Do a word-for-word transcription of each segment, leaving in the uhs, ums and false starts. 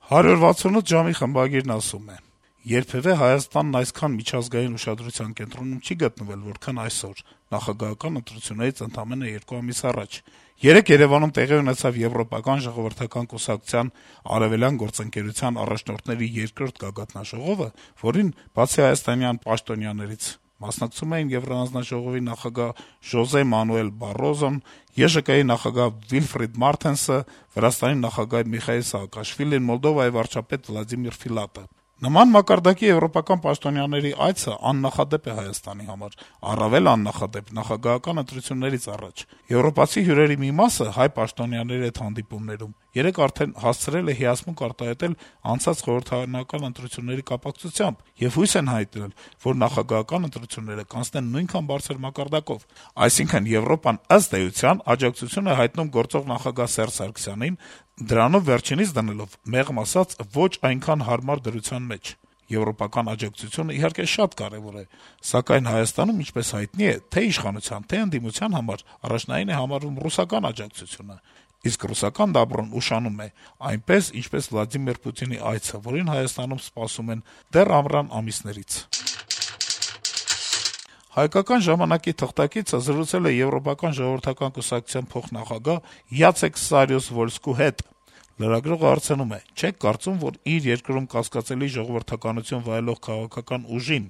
«հարյուր վաթսունութ ժամ»-ի խմբագիրն ասում է. - «Երբեւէ Հայաստանն այսքան միջազգային ուշադրության կենտրոնում չի գտնվել, որքան այսօր, նախագահական ընտրություններից ընդամենը երկու ամիս առաջ: Երեկ Երեւանում տեղի ունեցավ Եվրոպական ժողովրդական կուսակցության Արեւելյան գործընկերության առաջնորդների երկրորդ գագաթնաժողովը, որին, բացի հայաստանյան պաշտոնյաներից, մասնակցում էին Եվրահանձնաժողովի նախագահ Ժոզե Մանուել Բարոզոն, Ե Ժ Կ-ի նախագահ Վիլֆրիդ Մարթենսը, Վրաստանի նախագահ Միխայիլ Սաակաշվիլին, Մոլդովայի վարչապետ Վլադիմիր Ֆիլատը: Նման մակարդակի եվրոպական պաշտոնյաների այցը աննախադեպ է Հայաստանի համար, առավել աննախադեպ նախագահական ընտրություններից առաջ: Եվրոպացի հյուրերի մի մասը հայ պաշտոնյաների հետ հանդիպումներում երեկ արդեն հասցրել է հիասմունք արտահայտել անցած խորհրդարանական ընտրությունների կապակցությամբ եւ հույս են հայտնել, որ նախագահական ընտրությունները կանցնեն նույնքան բարձր մակարդակով: Այսինքն` Եվրոպան, ըստ էության, աջակցություն է հայտնում գործող նախագահ Սերժ Սարգսյանին, դրանով վերջինիս դնելով, մեղմ ասած, ոչ այնքան հարմար դրության մեջ: Եվրոպական աջակցությունը, իհարկե, շատ կարեւոր է, սակայն Հայաստանում, ինչպես հայտնի է, թե' իշխանության, թե' ընդդիմության համար առաջնային է համարվում ռուսական աջակցությունը: Իսկ ռուսական դաբրոն ուշանում է, այնպես, ինչպես Վլադիմիր Պուտինի այցը, որին Հայաստանում սպասում են դեռ ամռան ամիսներից»: «Հայկական ժամանակ»-ի թղթակիցը զրուցել է Եվրոպական ժողովրդական կուսակցության փոխնախագահ Յացեք Սարիուս-Վոլսկու հետ: Լրագրողը հարցնում է. - «Չե՞ք կարծում, որ իր երկրում կասկածելի ժողովրդականություն վայելող քաղաքական ուժին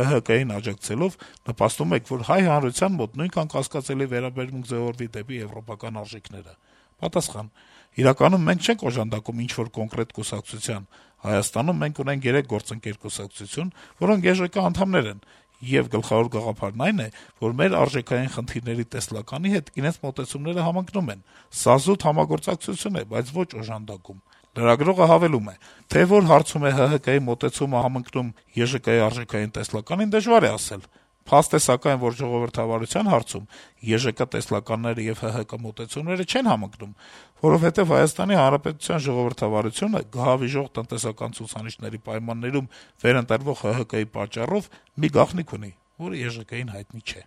ՀՀԿ-ին աջակցելով նպաստում եք, որ հայ հանրության մոտ նույնքան կասկածելի վերաբերմունք ձեւորվի դեպի եվրոպական արժեքները»: Պատասխան. - «Իրականում մենք չենք օժանդակում ինչ-որ կոնկրետ կուսակցության: Հայաստանում մենք ունենք երեք գործընկեր կուսակցություն, որոնք Ե Ժ Կ անդամներ են, եւ գլխավոր գաղափարն այն է, որ մեր արժեքային խնդիրների տեսլականի հետ իրենց մոտեցումները համընկնում են: Սա զուտ համագործակցություն է, բայց ոչ օժանդակում»: Լրագրողը հավելում է. - «Թե որ հարցում է ՀՀԿ-ի մոտեցումը համընկնում Ե Ժ Կ-ի արժեքային տեսլականին, դժվար է ասել: Փաստ է սակայն, որ ժողովրդավարության հարցում Ե Ժ Կ տեսլականները եւ ՀՀԿ մոտեցումները չեն համընկնում, որովհետեւ Հայաստանի Հանրապետության ժողովրդավարությունը գահավիժող տնտեսական ցուցանիշների պայմաններում վերընտրվող ՀՀԿ-ի պատճառով մի գաղտնիք ունի, որը Ե Ժ Կ-ին հայտնի չէ»: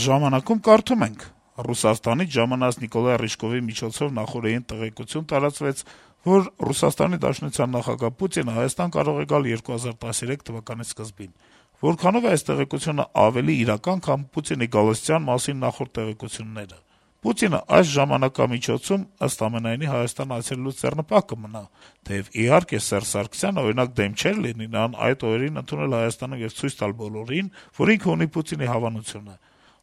«Ժամանակ»-ում կարդում ենք. - «Ռուսաստանից ժամանած Նիկոլայ Ռիժկովի միջոցով նախօրեին տեղեկություն տարածվեց, որ ՌԴ նախագահ Պուտինը Հայաստան կարող է գալ երկու հազար տասներեք թվականի սկզբին: Որքանո՞վ է այս տեղեկությունն ավելի իրական, քան Պուտինի գալստյան մասին նախորդ տեղեկությունները: Պուտինը այս ժամանակամիջոցում, ըստ ամենայնի, Հայաստան այցելելուց ձեռնպահ կմնա, թեեւ, իհարկե, Սերժ Սարգսյանը, օրինակ, դեմ չէր լինի նրան այդ օրերին ընդունել Հայաստանում եւ ցույց տալ բոլորին, որ ինքը ունի Պուտինի հավանությունը: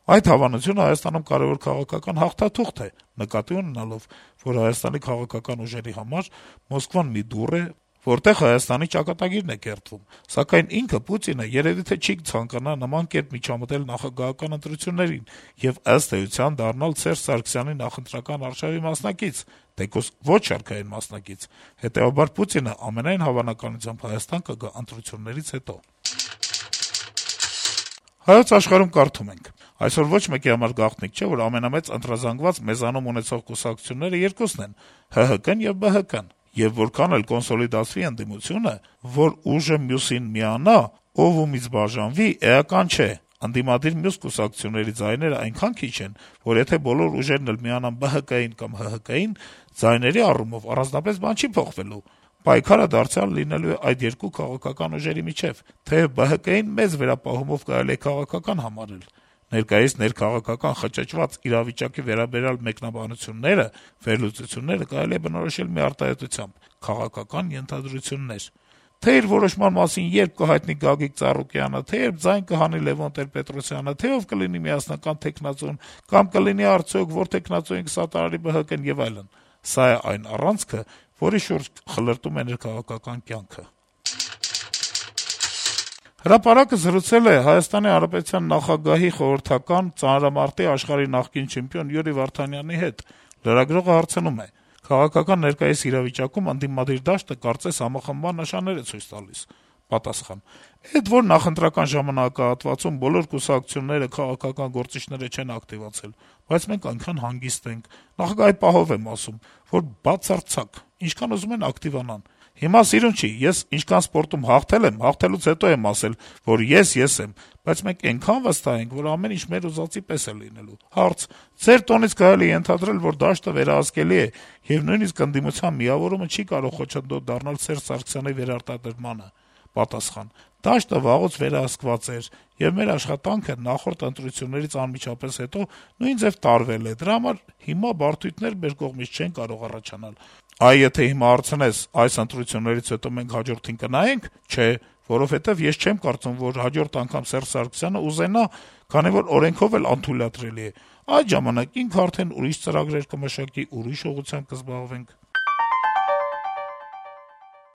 Այդ հավանությունը Հայաստանում կարեւոր քաղաքական հաղթաթուղթ է, նկատի ունենալով, որ Հայաստանի քաղաքական ուժերի համար Մոսկվան մի դուռ է, որտեղ Հայաստանի ճակատագիրն է կերտվում: Սակայն ինքը` Պուտինը, երեւի թե չի ցանկանա նման կերպ միջամտել նախագահական ընտրություններին եւ, ըստ էության, դառնալ Սերժ Սարգսյանի նախընտրական արշավի մասնակից, թեկուզ ոչ շարքային մասնակից: Հետեւաբար Պուտինը, ամենայն հավանականությամբ, Հայաստան կգա ընտրություններից հետո»: «Հայոց Աշխարհ»-ում կարդում ենք. - «Այսօր ոչ մեկի համար գաղտնիք չէ, որ ամենամեծ ընտրազանգված մեզանում ունեցող կուսակցությունները երկուսն են` ՀՀԿ-ն եւ ԲՀԿ-ն: Եվ որքան էլ կոնսոլիդացվի ընդդիմությունը, որ ուժը մյուսին միանա, ով ումից բաժանվի, էական չէ: Ընդդիմադիր մյուս կուսակցությունների ձայները այնքան քիչ են, որ եթե բոլոր ուժերն էլ միանան ԲՀԿ-ին կամ ՀՀԿ-ին, ձայների առումով առանձնապես բան չի փոխվելու: Պայքարը դարձյալ լինելու է այդ երկու քաղաքական ուժերի միջեւ: Թեեւ ԲՀԿ-ին մեծ վերապահումով կարելի է քաղաքական համարել: Ներկայիս ներքաղաքական խճճված իրավիճակի վերաբերյալ մեկնաբանությունները, վերլուծությունները կարելի է բնորոշել մի արտահայտությամբ` քաղաքական ենթադրություններ: Թե իր որոշման մասին երբ կհայտնի Գագիկ Ծառուկյանը, թե երբ ձայն կհանի Լեւոն Տեր-Պետրոսյանը, թե ով կլինի միասնական թեկնածուն, կամ կլինի արդյոք, որ թեկնածուին կսատարի ԲՀԿ-ն եւ այլն: Սա է այն առանցքը, որի շուրջ խլրտում է ներքաղաքական կյանքը»: «Հրապարակ»-ը զրուցել է ՀՀ նախագահի խորհրդական, ծանրամարտի աշխարհի նախկին չեմպիոն Յուրի Վարդանյանի հետ: Լրագրողը հարցնում է. - «Քաղաքական ներկայիս իրավիճակում ընդդիմադիր դաշտը կարծես համախմբման նշաններ է ցույց տալիս»: Պատասխան. - «Էդ որ նախընտրական ժամանակահատվածում բոլոր կուսակցությունները, քաղաքական գործիչները չեն ակտիվացել, բայց մենք այնքան հանգիստ ենք, նախագահի պահով եմ ասում, որ բացարձակ, ինչքան ուզում են ակտիվանան: Հիմա սիրուն չի, ես ինչքան սպորտում հաղթել եմ, հաղթելուց հետո եմ ասել, որ ես ես եմ, բայց մենք այնքան վստահ ենք, որ ամեն ինչ մեր ուզածի պես է լինելու։ Հարց. ձեր տոնից կարելի է ենթադրել, որ դաշտը վերահսկելի է, եւ նույնիսկ ընդդիմության միավորումը չի կարող խոչընդոտ դառնալ Սերժ Սարգսյանի վերարտադրմանը։ Պատասխան. դաշտը վաղուց վերահսկված էր, եւ մեր աշխատանքը նախորդ ընտրություններից անմիջապես հետո նույն ձեւ տարվել է, դրա համար հիմա բարդույթներ մեր կողմից չեն կարող առաջանալ։ Այ եթե հիմա հարցնես, այս ընտրություններից հետո մենք հաջորդին կնայե՞նք, չէ, որովհետեւ ես չեմ կարծում, որ հաջորդ անգամ Սերժ Սարգսյանը ուզենա, քանի որ օրենքով էլ անթույլատրելի է։ Այդ ժամանակ ինքը արդեն ուրիշ ծրագրեր կմշակի, ուրիշ ուղղությամբ կզբաղվենք։